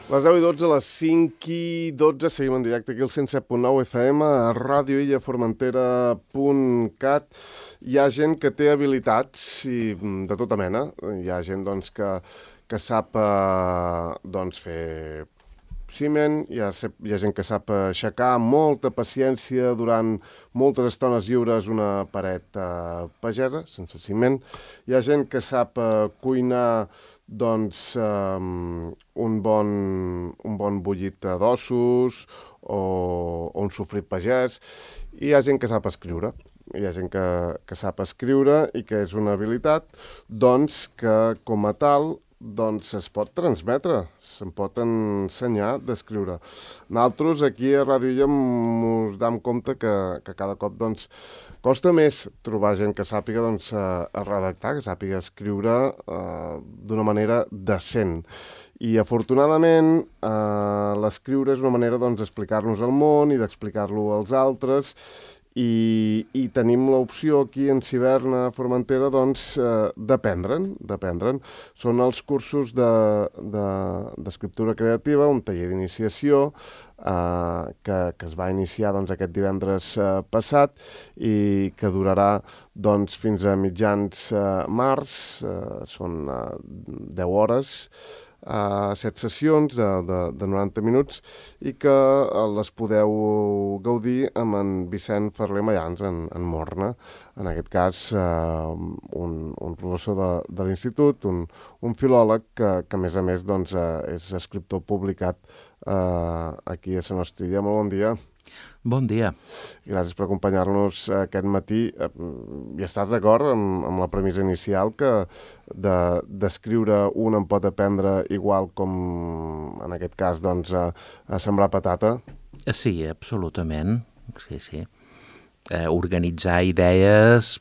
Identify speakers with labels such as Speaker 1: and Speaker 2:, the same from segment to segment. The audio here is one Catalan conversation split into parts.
Speaker 1: Les 10:12, a les 5:12, seguim en directe aquí al 107.9 FM, a radioillaformentera.cat. Hi ha gent que té habilitats de tota mena. Hi ha gent doncs, que sap fer ciment, hi ha gent que sap aixecar amb molta paciència durant moltes estones lliures una paret pagesa, sense ciment. Hi ha gent que sap cuinar un bon bullit d'ossos o un sofrit pagès. I hi ha gent que sap escriure. Hi ha gent que sap escriure i que és una habilitat que com a tal es pot transmetre, se'n pot ensenyar d'escriure. Nosaltres aquí a Ràdio Illa ens dam compte que cada cop costa més trobar gent que sàpiga a redactar, que sàpiga escriure d'una manera decent. I afortunadament l'escriure és una manera d'explicar-nos el món i d'explicar-lo als altres. I tenim l'opció aquí en Ciberna Formentera d'aprendre'n. Són els cursos d'escriptura creativa, un taller d'iniciació que es va iniciar aquest divendres passat i que durarà fins a mitjans març. Són 10 hores, 7 sessions de 90 minuts i que les podeu gaudir amb en Vicent Ferler Mayans, en Morna, en aquest cas un professor de l'institut, un filòleg que a més és escriptor publicat aquí a la nostra illa. Molt bon dia.
Speaker 2: Bon dia.
Speaker 1: Gràcies per acompanyar-nos aquest matí. I estàs d'acord amb la premissa inicial que d'escriure un en pot aprendre igual com, en aquest cas, a sembrar patata?
Speaker 2: Sí, absolutament. Sí. Organitzar idees,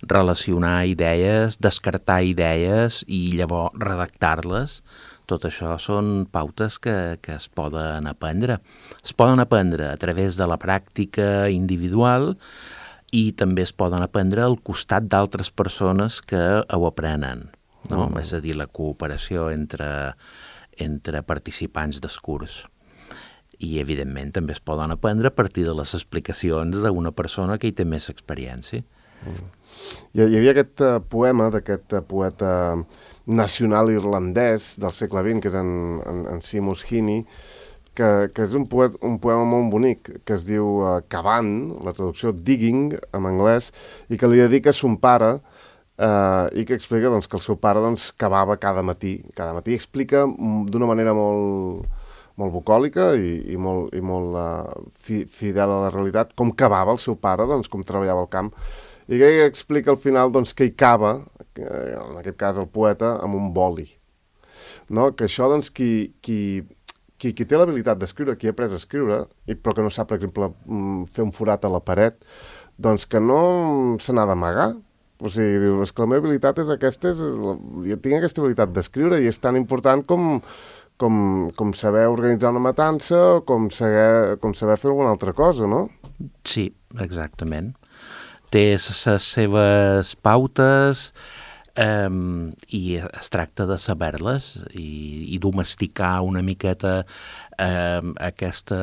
Speaker 2: relacionar idees, descartar idees i llavors redactar-les. Tot això són pautes que es poden aprendre. Es poden aprendre a través de la pràctica individual i també es poden aprendre al costat d'altres persones que ho aprenen, no? És a dir, la cooperació entre participants del curs. I, evidentment, també es poden aprendre a partir de les explicacions d'una persona que hi té més experiència.
Speaker 1: Hi havia aquest poema d'aquest poeta nacional irlandès del segle XX, que és en Seamus Heaney, que és un poema molt bonic, que es diu Cavant, la traducció Digging, en anglès, i que li dedica a son pare, i que explica que el seu pare cavava cada matí. Cada matí explica d'una manera molt bucòlica i molt fidel a la realitat com cavava el seu pare, com treballava al camp. I que explica al final que hi cava, en aquest cas el poeta, amb un boli. No? Que això, qui té l'habilitat d'escriure, qui ha après a escriure, però que no sap, per exemple, fer un forat a la paret, que no se n'ha d'amagar. O sigui, diu, és que la meva habilitat és aquesta, jo tinc aquesta habilitat d'escriure i és tan important com saber organitzar una matança o com saber fer alguna altra cosa, no?
Speaker 2: Sí, exactament. Té les seves pautes i es tracta de saber-les i domesticar una miqueta aquesta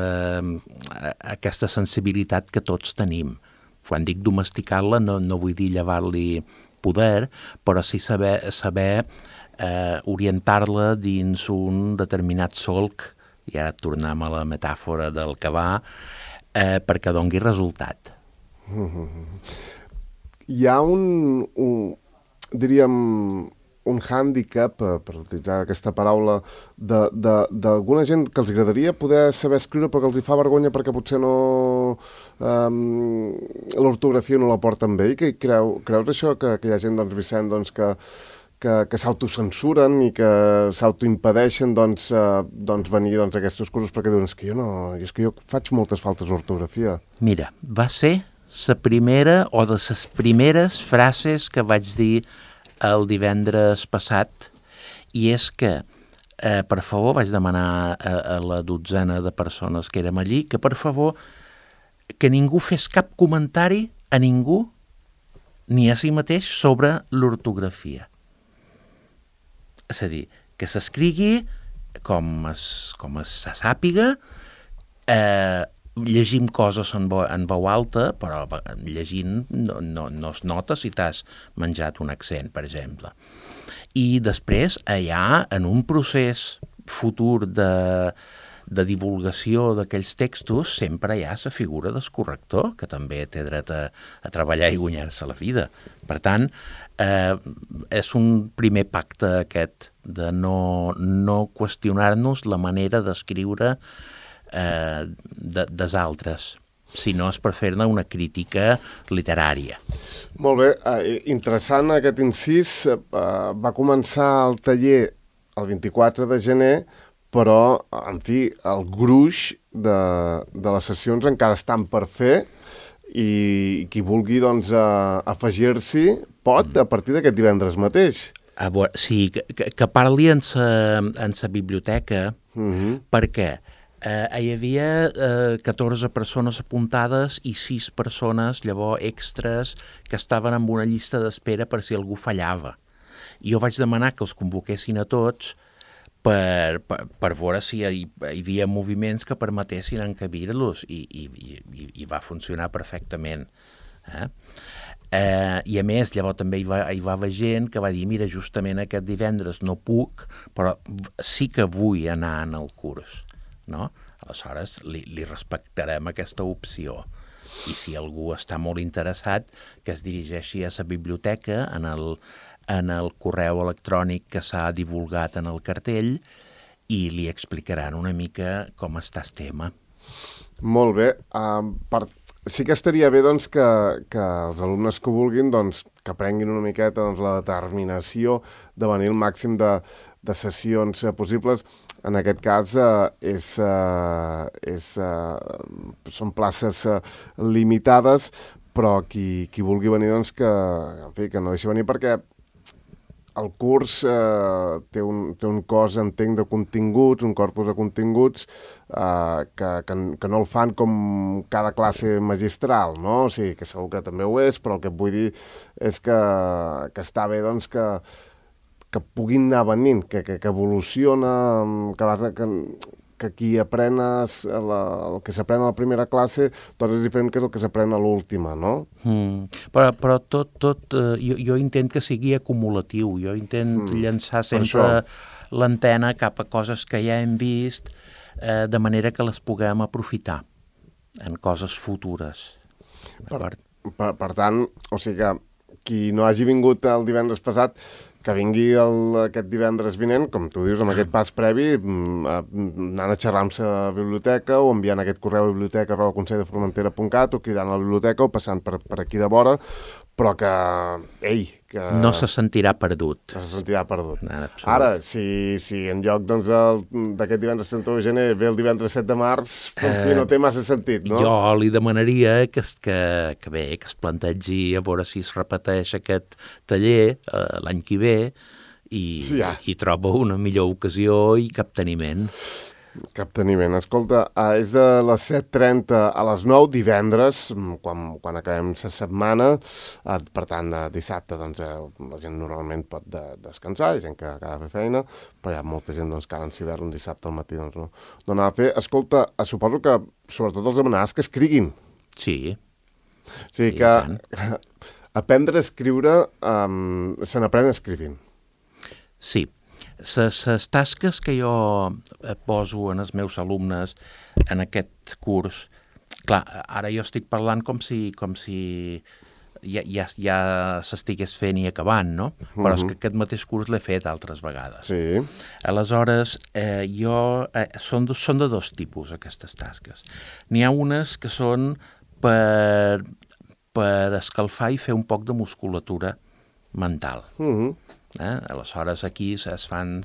Speaker 2: sensibilitat que tots tenim. Quan dic domesticar-la no vull dir llevar-li poder, però sí saber orientar-la dins un determinat solc, i ara tornem a la metàfora del cavar, perquè dongui resultat.
Speaker 1: Hi ha diríem, un hàndicap, per utilitzar aquesta paraula, d'alguna gent que els agradaria poder saber escriure però que els hi fa vergonya perquè potser l'ortografia no la porten bé. I creus això, que hi ha gent, Vicent, que s'autocensuren i que s'autoimpedeixen venir a aquests cursos perquè diuen que jo faig moltes faltes d'ortografia.
Speaker 2: Mira, va ser la primera o de les primeres frases que vaig dir el divendres passat, i és que, per favor, vaig demanar a la dotzena de persones que érem allí, que per favor, que ningú fes cap comentari a ningú, ni a si mateix, sobre l'ortografia. És a dir, que s'escrigui se sàpiga, llegim coses en veu alta, però llegint no es nota si t'has menjat un accent, per exemple. I després, allà, en un procés futur de divulgació d'aquells textos, sempre hi ha la figura del corrector, que també té dret a treballar i guanyar-se la vida. Per tant, és un primer pacte aquest de no qüestionar-nos la manera d'escriure dels altres, sinó és per fer-ne una crítica literària.
Speaker 1: Molt bé, interessant aquest incís. Va començar el taller el 24 de gener, però, en fi, el gruix de les sessions encara estan per fer i qui vulgui, doncs, afegir-s'hi pot a partir d'aquest divendres mateix.
Speaker 2: Sí, que parli en sa biblioteca, perquè hi havia 14 persones apuntades i 6 persones, llavors extras, que estaven en una llista d'espera per si algú fallava. I jo vaig demanar que els convoquessin a tots per veure si hi havia moviments que permetessin encabir-los i va funcionar perfectament. I a més, llavors també hi va haver gent que va dir, mira, justament aquest divendres no puc, però sí que vull anar en el curs. No? Aleshores li respectarem aquesta opció i si algú està molt interessat que es dirigeixi a la biblioteca en el correu electrònic que s'ha divulgat en el cartell i li explicaran una mica com està el tema.
Speaker 1: Molt bé. Sí que estaria bé doncs, que els alumnes que vulguin doncs, que prenguin una miqueta doncs, la determinació de venir el màxim de sessions possibles. En aquest cas són places limitades, però qui vulgui venir doncs, que no deixi venir, perquè el curs té un cos, entenc, de continguts, un corpus de continguts que no el fan com cada classe magistral, no? O sigui, que segur que també ho és, però el que et vull dir és que està bé doncs, que puguin anar venint, que evoluciona, que qui aprèn el que s'aprèn a la primera classe doncs és diferent que el que s'aprèn a l'última, no?
Speaker 2: Però tot jo intent que sigui acumulatiu, jo intent llançar sempre l'antena cap a coses que ja hem vist, de manera que les puguem aprofitar en coses futures.
Speaker 1: Per tant, o sigui que qui no hagi vingut el divendres passat, que vingui aquest divendres vinent, com tu dius, amb aquest pas previ, anant a xerrar amb la biblioteca o enviant aquest correu a biblioteca@conselldeformentera.cat o cridant a la biblioteca o passant per aquí de vora, però que
Speaker 2: no se sentirà perdut.
Speaker 1: No se sentirà perdut. Ara, si en lloc d'aquest divendres 31 de gener ve el divendres 7 de març, no té massa sentit, no?
Speaker 2: Jo li demanaria que es plantegi a veure si es repeteix aquest taller l'any que ve i troba una millor ocasió i capteniment.
Speaker 1: Capteniment. Escolta, és de les 7:30 a les 9 divendres, quan acabem la setmana. Per tant, dissabte doncs, la gent normalment pot descansar, hi ha gent que acaba de fer feina, però hi ha molta gent doncs, que ara en l'hivern un dissabte al matí doncs, no anava a fer. Escolta, suposo que sobretot els demanaràs que escriguin.
Speaker 2: Sí.
Speaker 1: O sigui que aprendre a escriure se n'aprèn escrivint.
Speaker 2: Sí. Les tasques que jo poso en els meus alumnes en aquest curs, clar, ara jo estic parlant com si ja s'estigués fent i acabant, no? Però és que aquest mateix curs l'he fet altres vegades.
Speaker 1: Sí.
Speaker 2: Aleshores, són de dos tipus, aquestes tasques. N'hi ha unes que són per escalfar i fer un poc de musculatura mental. Aleshores aquí es fan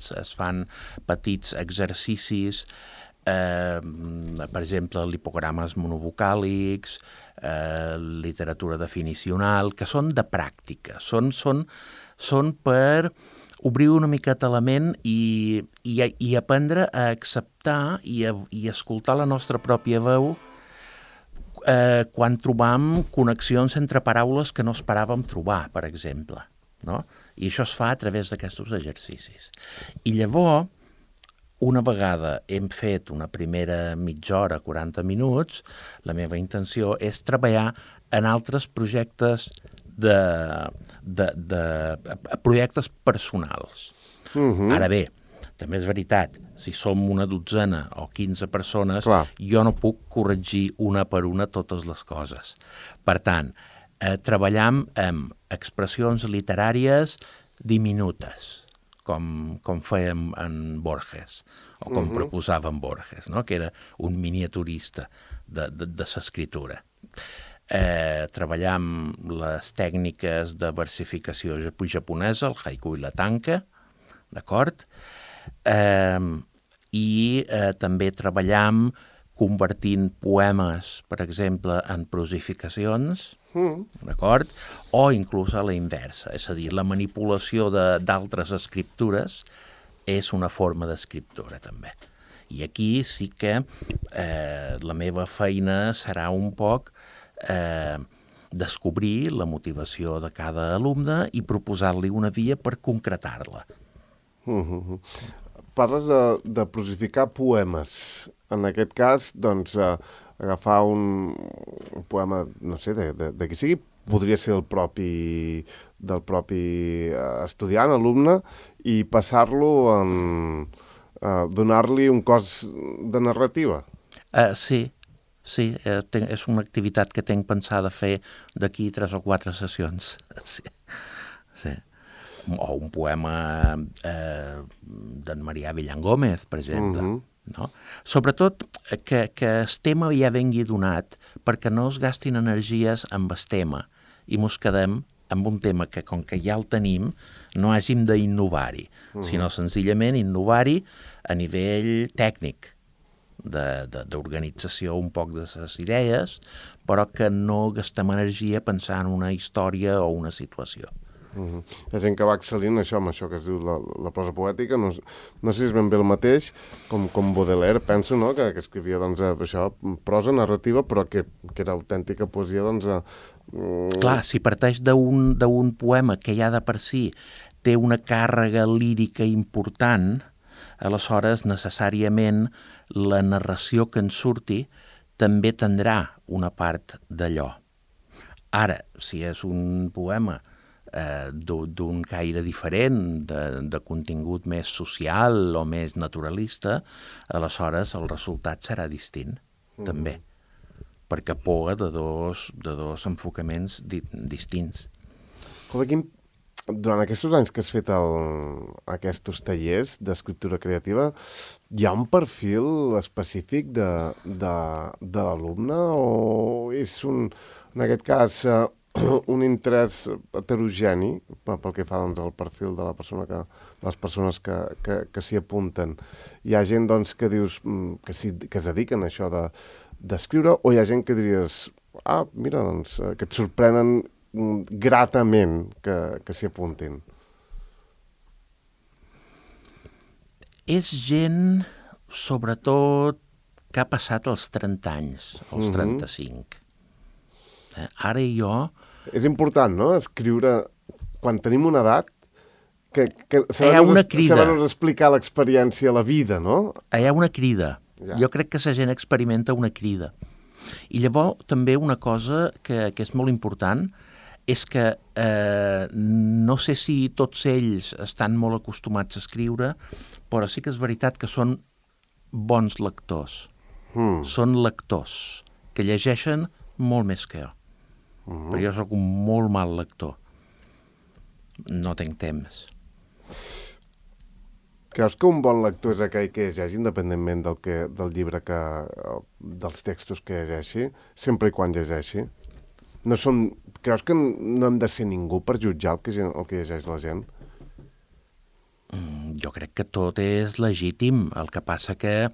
Speaker 2: petits exercicis, per exemple, lipogrames monovocàlics, literatura definicional, que són de pràctica, són per obrir una miqueta la ment i aprendre a acceptar i escoltar la nostra pròpia veu quan trobam connexions entre paraules que no esperàvem trobar, per exemple, no? I això es fa a través d'aquests exercicis. I llavors, una vegada hem fet una primera mitja hora, 40 minuts, la meva intenció és treballar en altres projectes projectes personals. Ara bé, també és veritat, si som una dotzena o 15 persones, jo no puc corregir una per una totes les coses. Per tant, treballam amb expressions literàries diminutes, com fèiem en Borges, o com proposava en Borges, no? Que era un miniaturista de l'escriptura. Treballam les tècniques de versificació japonesa, el haiku i la tanka, d'acord? I també treballam convertint poemes, per exemple, en prosificacions, d'acord? O inclús a la inversa, és a dir, la manipulació d'altres escriptures és una forma d'escriptura, també. I aquí sí que la meva feina serà un poc descobrir la motivació de cada alumne i proposar-li una via per concretar-la.
Speaker 1: Parles de prosificar poemes. En aquest cas, doncs, agafar un poema, no sé, de qui sigui, podria ser del propi estudiant, alumne, i passar-lo donar-li un cos de narrativa.
Speaker 2: Sí, és una activitat que tinc pensada fer d'aquí 3 o 4 sessions. Sí. O un poema d'en Marià Villangómez, per exemple. No? Sobretot que el tema ja vengui donat perquè no es gastin energies amb el tema i mos quedem amb un tema que, com que ja el tenim, no hàgim d'innovar-hi, sinó senzillament innovar-hi a nivell tècnic, d'organització un poc de les idees, però que no gastem energia pensant en una història o una situació.
Speaker 1: Hi ha gent que va excel·lint amb això que es diu la prosa poètica, no sé si és ben bé el mateix, com Baudelaire, penso, no? Que escrivia doncs, això, prosa narrativa, però que era autèntica poesia. Doncs,
Speaker 2: Clar, si parteix d'un poema que ja de per si té una càrrega lírica important, aleshores necessàriament la narració que en surti també tindrà una part d'allò. Ara, si és un poema d'un caire diferent, de contingut més social o més naturalista, aleshores el resultat serà distint, també, perquè poga de dos enfocaments distints.
Speaker 1: Escolta, durant aquests anys que has fet aquests tallers d'escriptura creativa, hi ha un perfil específic de l'alumne o és en aquest cas un interès heterogeni pel que fa doncs, al perfil de la persona de les persones que s'hi apunten? Hi ha gent doncs, que dius que es dediquen a això d'escriure, o hi ha gent que diries mira, doncs, que et sorprenen gratament que s'hi apuntin?
Speaker 2: És gent, sobretot, que ha passat els 30 anys, els 35. Ara i jo...
Speaker 1: És important, no?, escriure quan tenim una edat, que saber-nos explicar l'experiència, la vida, no?
Speaker 2: Hi ha una crida. Ja. Jo crec que la gent experimenta una crida. I llavors també una cosa que és molt important és que no sé si tots ells estan molt acostumats a escriure, però sí que és veritat que són bons lectors. Són lectors que llegeixen molt més que jo. Però jo sóc un molt mal lector. No tinc temps.
Speaker 1: Creus que un bon lector és aquell que llegeixi independentment del llibre dels textos que llegeixi, sempre i quan llegeixi? Creus que no hem de ser ningú per jutjar el que llegeix la gent?
Speaker 2: Jo crec que tot és legítim. El que passa que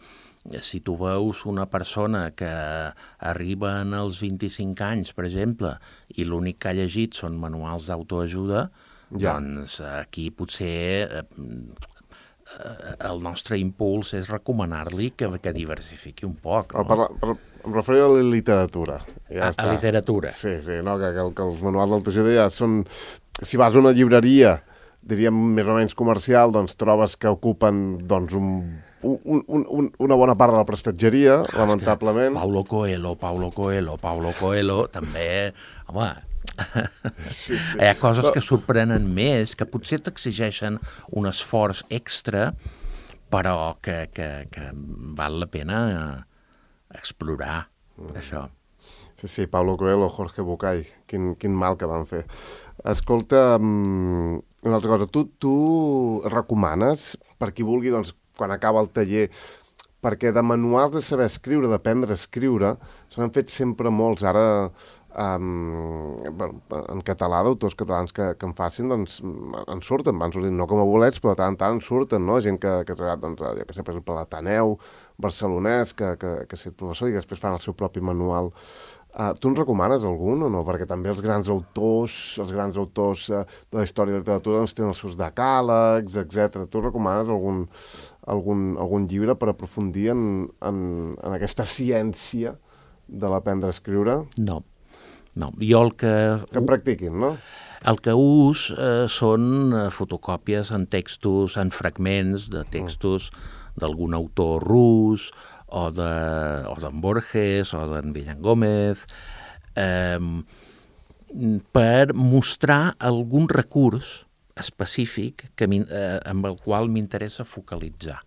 Speaker 2: si tu veus una persona que arriba als 25 anys, per exemple, i l'únic que ha llegit són manuals d'autoajuda, doncs aquí potser el nostre impuls és recomanar-li que diversifiqui un poc. No?
Speaker 1: Em referia a la literatura.
Speaker 2: A literatura.
Speaker 1: Sí, no, que els manuals d'autoajuda ja són... Si vas a una llibreria, diríem més o menys comercial, doncs trobes que ocupen doncs, un una bona part de la prestatgeria, lamentablement.
Speaker 2: Paulo Coelho, també, home, sí. Hi ha coses que sorprenen més, que potser t'exigeixen un esforç extra, però que val la pena explorar, això.
Speaker 1: Sí, Paulo Coelho, Jorge Bucay, quin mal que van fer. Escolta, una altra cosa, tu recomanes, per qui vulgui, doncs, quan acaba el taller, perquè de manuals de saber escriure, d'aprendre a escriure, se n'han fet sempre molts. Ara, en català, d'autors catalans que en facin, doncs, en surten, van sortint, no com a bolets, però de tant en tant en surten, no? Gent que ha treballat, doncs, jo que sé, per exemple, l'Ateneu barcelonès, que ha estat professor i després fan el seu propi manual. Tu en recomanes algun o no? Perquè també els grans autors de la història de la literatura doncs, tenen els seus decàlegs, etc. Tu recomanes algun llibre per aprofundir en aquesta ciència de l'aprendre a escriure?
Speaker 2: No. Jo el que...
Speaker 1: Que practiquin, no?
Speaker 2: El que ús són fotocòpies en textos, en fragments de textos d'algun autor rus, o d'en Borges, o d'en Villangómez, per mostrar algun recurs específic amb el qual m'interessa focalitzar,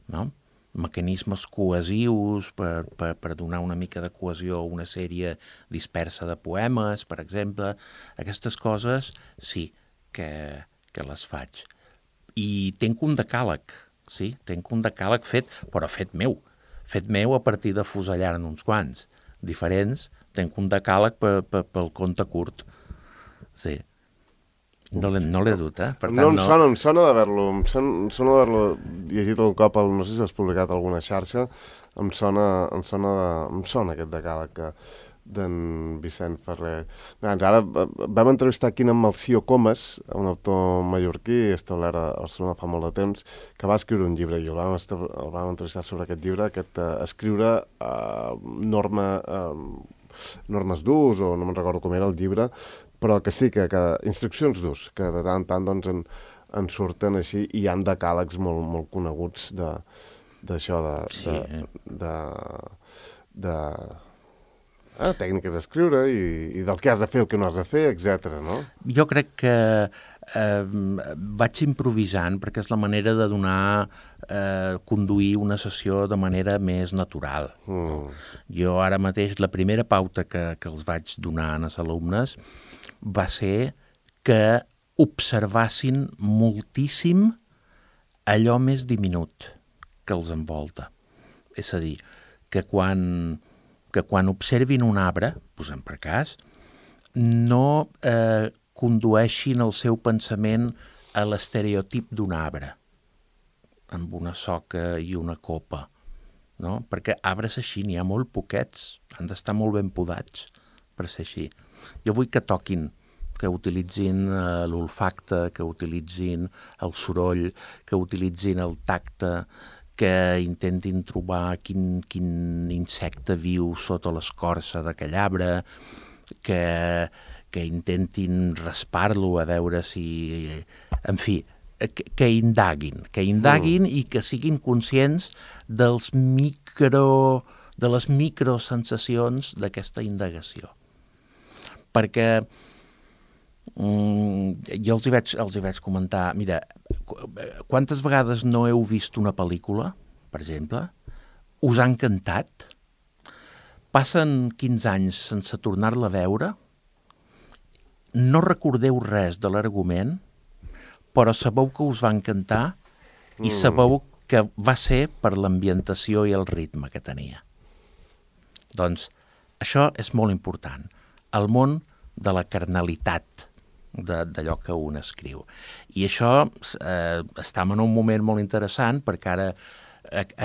Speaker 2: no? Mecanismes cohesius per donar una mica de cohesió a una sèrie dispersa de poemes, per exemple. Aquestes coses sí que les faig. I tenc un decàleg, sí, tenc un decàleg fet, però fet meu a partir de fusellar-ne uns quants diferents, tenc un decàleg pel conte curt, sí. No l'he dut, Per tant,
Speaker 1: em sona d'haver-lo llegit un cop, no sé si has publicat alguna xarxa, em sona aquest decàleg d'en Vicent Ferrer. Ara vam entrevistar aquí en Melcior Comas, un autor mallorquí establert a Barcelona fa molt de temps, que va escriure un llibre i el vam entrevistar sobre aquest llibre, escriure normes d'ús, o no me'n recordo com era el llibre, però que sí, que instruccions d'ús, que de tant en tant doncs, en surten així, i hi ha decàlegs molt coneguts d'això, tècniques d'escriure i del que has de fer, el que no has de fer, etc. no?
Speaker 2: Jo crec que vaig improvisant perquè és la manera de conduir una sessió de manera més natural. Jo ara mateix, la primera pauta que els vaig donar als alumnes va ser que observassin moltíssim allò més diminut que els envolta. És a dir, que quan observin un arbre, posem per cas, no condueixin el seu pensament a l'estereotip d'un arbre, amb una soca i una copa, no? Perquè arbres així n'hi ha molt poquets, han d'estar molt ben podats per ser així. Jo vull que toquin, que utilitzin l'olfacte, que utilitzin el soroll, que utilitzin el tacte, que intentin trobar quin insecte viu sota l'escorça d'aquell arbre, que intentin raspar-lo a veure si... En fi, que indaguin i que siguin conscients de les microsensacions d'aquesta indagació. Perquè jo els hi vaig comentar, mira, quantes vegades no heu vist una pel·lícula, per exemple, us ha encantat, passen 15 anys sense tornar-la a veure, no recordeu res de l'argument, però sabeu que us va encantar i sabeu que va ser per l'ambientació i el ritme que tenia. Doncs això és molt important. El món de la carnalitat d'allò que un escriu. I això estem en un moment molt interessant perquè ara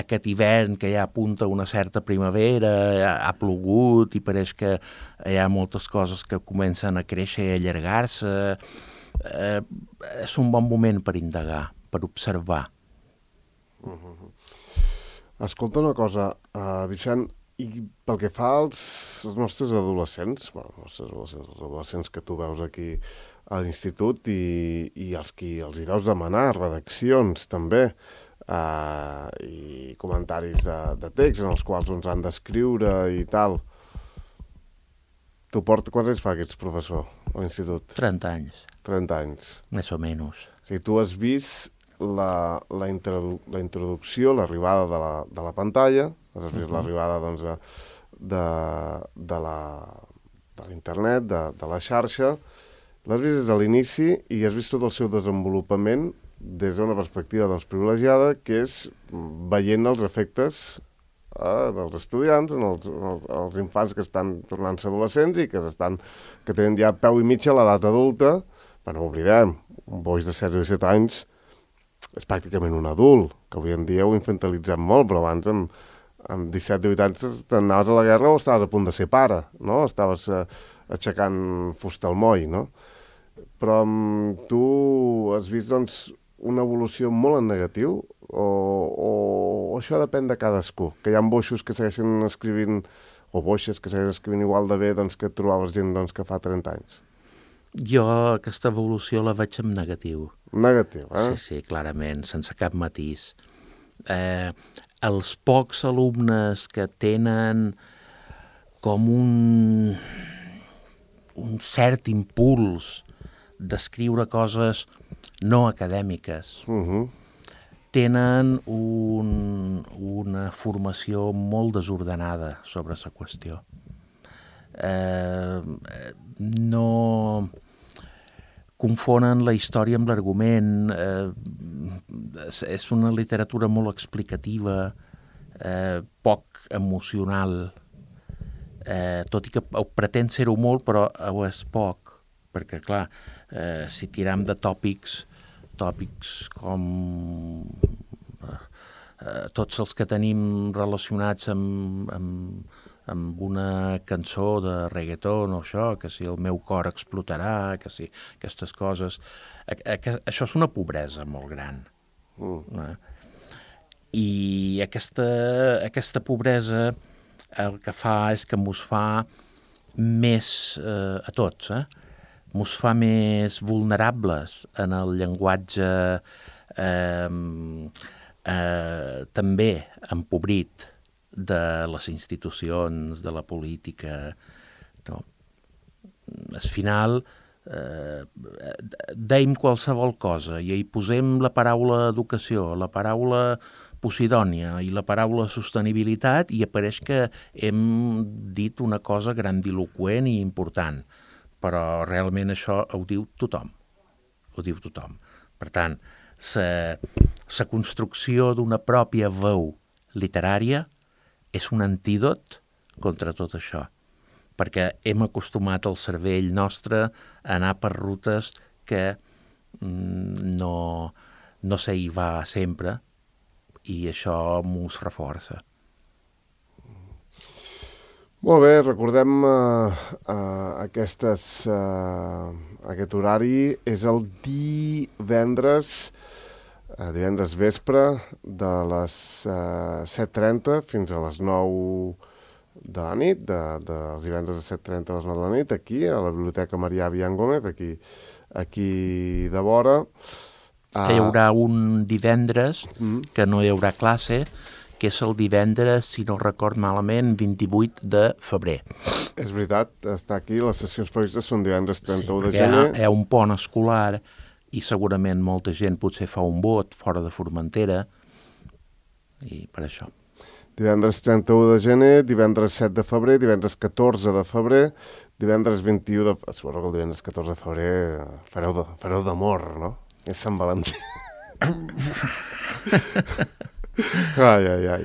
Speaker 2: aquest hivern que ja apunta una certa primavera, ha plogut i pareix que hi ha moltes coses que comencen a créixer i a allargar-se. És un bon moment per indagar, per observar.
Speaker 1: Escolta una cosa, Vicent, i pel que fa als nostres adolescents, els adolescents que tu veus aquí a l'institut i els qui els hi deus demanar redaccions també, i comentaris de text en els quals ens han d'escriure i tal. Quants anys fa que ets professor a l'institut?
Speaker 2: 30 anys.
Speaker 1: 30 anys.
Speaker 2: Més o menys.
Speaker 1: O sigui, tu has vist la introducció, l'arribada de la pantalla, has vist l'arribada doncs, de l'internet, de la xarxa, l'has vist des de l'inici i has vist tot el seu desenvolupament des d'una perspectiva doncs, privilegiada, que és veient els efectes dels estudiants, els infants que estan tornant-se adolescents i que tenen ja peu i mitja a l'edat adulta. Però no oblidem, un boix de 16 o 17 anys és pràcticament un adult, que avui en dia ho infantilitzem molt, però abans amb 17-18 anys t'anaves a la guerra o estaves a punt de ser pare, no? Estaves aixecant fusta al moll, no? Però tu has vist, doncs, una evolució molt en negatiu o això depèn de cadascú? Que hi ha boixos que segueixen escrivint o boixes que segueixen escrivint igual de bé doncs, que trobaves gent doncs, que fa 30 anys?
Speaker 2: Jo aquesta evolució la veig en negatiu.
Speaker 1: Negatiu, eh?
Speaker 2: Sí, clarament, sense cap matís. Els pocs alumnes que tenen com un cert impuls d'escriure coses no acadèmiques, tenen una formació molt desordenada sobre la qüestió. No confonen la història amb l'argument, és una literatura molt explicativa, poc emocional, tot i que pretén ser-ho molt, però ho és poc, perquè, clar, si tiram de tòpics com tots els que tenim relacionats amb una cançó de reggaeton o això, que si el meu cor explotarà, que si aquestes coses... Això és una pobresa molt gran. I aquesta pobresa el que fa és que mos fa més, a tots, mos fa més vulnerables en el llenguatge també empobrit de les institucions, de la política. No? Al final, deim qualsevol cosa i hi posem la paraula educació, la paraula Posidònia i la paraula sostenibilitat i apareix que hem dit una cosa grandiloqüent i important, però realment això ho diu tothom. Ho diu tothom. Per tant, la construcció d'una pròpia veu literària és un antídot contra tot això, perquè hem acostumat el cervell nostre a anar per rutes que no se hi va sempre i això mos reforça.
Speaker 1: Molt bé, recordem aquest horari, és el divendres vespre de les 7:30 fins a les 9 de la nit, dels divendres de 7:30 a les 9 de la nit, aquí a la Biblioteca Marià Bian Gómez, aquí de vora.
Speaker 2: Hi haurà un divendres que no hi haurà classe, que és el divendres, si no record malament, 28 de febrer.
Speaker 1: És veritat, està aquí, les sessions previstes són divendres 31 de gener.
Speaker 2: Hi ha un pont escolar i segurament molta gent potser fa un vot fora de Formentera i per això.
Speaker 1: Divendres 31 de gener, divendres 7 de febrer, divendres 14 de febrer, divendres 21 de... Suposo que el divendres 14 de febrer fareu d'amor, no? És Sant Valentí. Ai.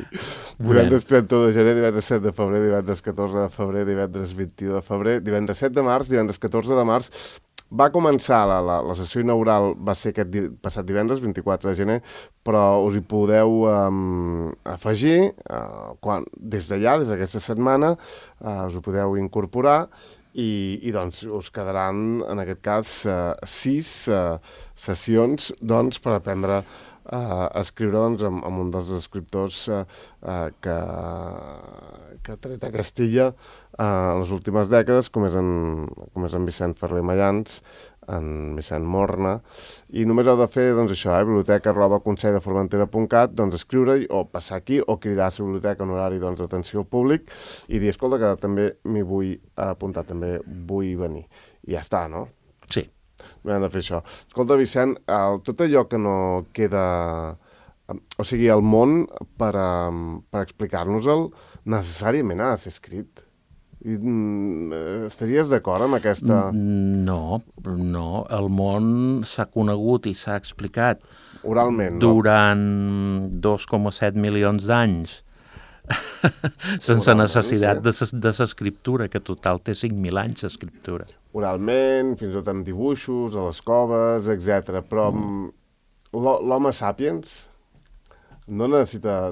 Speaker 1: Divendres 31 de gener, divendres 7 de febrer, divendres 14 de febrer, divendres 21 de febrer, divendres 7 de març, divendres 14 de març. Va començar, la sessió inaugural va ser aquest passat divendres, 24 de gener, però us hi podeu afegir, des d'allà, des d'aquesta setmana, us ho podeu incorporar i doncs us quedaran, en aquest cas, 6 sessions doncs, per aprendre escriure doncs, amb un dels escriptors que ha tret a Castilla en les últimes dècades, com és en Vicent Ferrer Mallans, en Vicent Morna, i només heu de fer, doncs, això, biblioteca@conselldeformentera.cat, doncs, escriure-hi, o passar aquí, o cridar a la biblioteca en horari, doncs, d'atenció al públic, i dir, escolta, que també m'hi vull apuntar, també vull venir. I ja està, no?
Speaker 2: Sí.
Speaker 1: No hem de fer això. Escolta, Vicent, tot allò que no queda... O sigui, el món, per explicar-nos-el, necessàriament ha de ser escrit. Estaries d'acord amb aquesta...
Speaker 2: No. El món s'ha conegut i s'ha explicat
Speaker 1: oralment,
Speaker 2: durant 2,7 milions d'anys sense necessitat de l'escriptura, que total té 5.000 anys l'escriptura.
Speaker 1: Oralment, fins i tot amb dibuixos, a les coves, etc. Però l'home sapiens no necessita...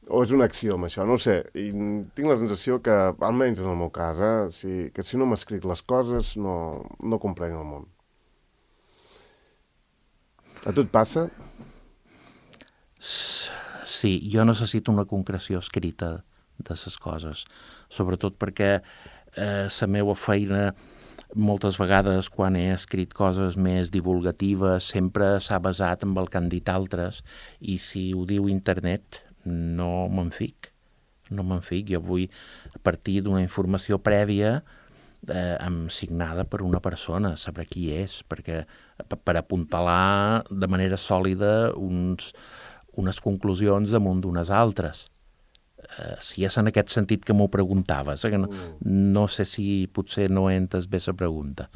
Speaker 1: o és un axioma, això, no ho sé. I tinc la sensació que, almenys en el meu cas, que si no m'escric les coses, no comprenc el món. A tu et passa?
Speaker 2: Sí, jo necessito una concreció escrita de les coses, sobretot perquè la meva feina moltes vegades quan he escrit coses més divulgatives sempre s'ha basat en el que han dit altres, i si ho diu internet no me'n fic. Jo vull partir d'una informació prèvia signada per una persona, saber qui és, perquè per apuntalar de manera sòlida unes conclusions damunt d'unes altres. Si és en aquest sentit que m'ho preguntaves, que no sé si potser no he entès bé la pregunta.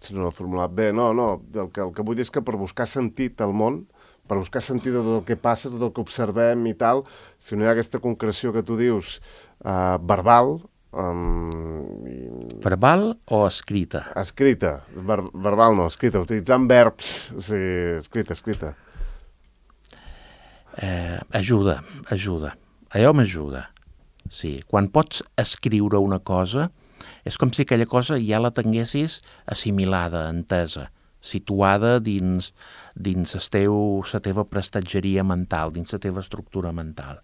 Speaker 1: Si no l'he formulat bé, no. El que vull dir és que per buscar sentit al món, per buscar sentit de tot el que passa, tot el que observem i tal, si no hi ha aquesta concreció que tu dius verbal...
Speaker 2: Verbal o escrita?
Speaker 1: Escrita. Verbal no, escrita. Utilitzant verbs. O sigui, escrita.
Speaker 2: Ajuda. Allò m'ajuda. Sí, quan pots escriure una cosa, és com si aquella cosa ja la tinguessis assimilada, entesa, situada dins la teva prestatgeria mental, dins la teva estructura mental.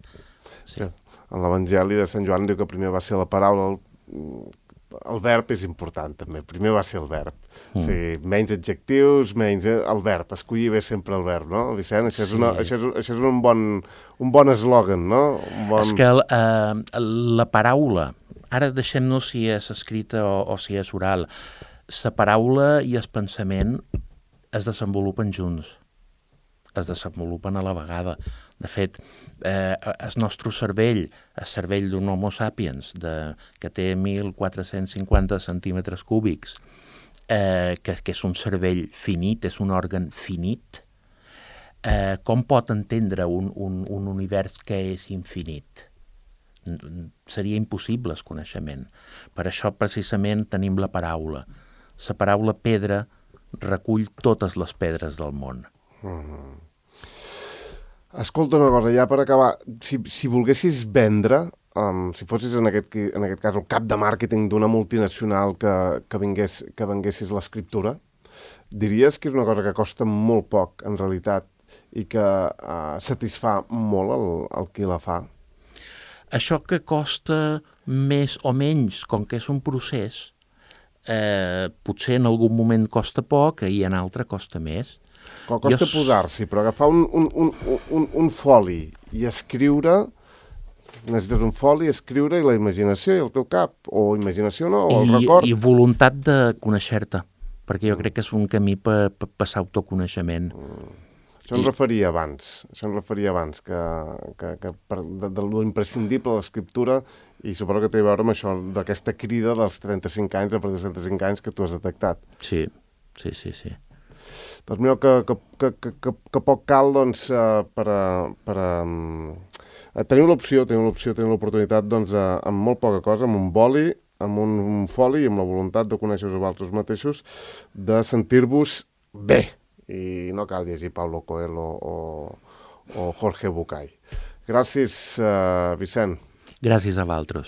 Speaker 1: Sí. En l'Evangeli de Sant Joan diu que primer va ser la paraula, el verb és important també, primer va ser el verb. O sigui, menys adjectius, menys el verb, escollir bé sempre el verb, no, Vicent? Això és un bon eslògan, no?
Speaker 2: És que la paraula, ara deixem-nos si és escrita o si és oral, la paraula i el pensament es desenvolupen junts, es desenvolupen a la vegada. De fet, el nostre cervell, el cervell d'un homo sapiens, que té 1.450 centímetres cúbics, que és un cervell finit, és un òrgan finit, com pot entendre un univers que és infinit? Seria impossible el coneixement. Per això, precisament, tenim la paraula. La paraula pedra recull totes les pedres del món.
Speaker 1: Escolta una cosa, ja per acabar, si volguessis vendre, si fossis en aquest cas el cap de màrqueting d'una multinacional que venguessis l'escriptura, diries que és una cosa que costa molt poc, en realitat, i que satisfà molt el qui la fa?
Speaker 2: Això que costa més o menys, com que és un procés, potser en algun moment costa poc i en altre costa més.
Speaker 1: Costa posar-s'hi, però agafar un foli i escriure, necessites un foli, escriure i la imaginació i el teu cap, o imaginació no, o el record.
Speaker 2: I voluntat de conèixer-te, perquè jo crec que és un camí per passar autoconeixement.
Speaker 1: Això em referia abans, que de l'imprescindible de l'escriptura, i suposo que té a veure amb això, d'aquesta crida dels 35 anys, a partir dels 35 anys que tu has detectat.
Speaker 2: Sí.
Speaker 1: Doncs mira, que poc cal, doncs, per tenir l'oportunitat, doncs, amb molt poca cosa, amb un boli, amb un foli i amb la voluntat de conèixer-vos a vosaltres mateixos, de sentir-vos bé. I no cal llegir Paulo Coelho o Jorge Bucay. Gràcies, Vicent.
Speaker 2: Gràcies a vosaltres.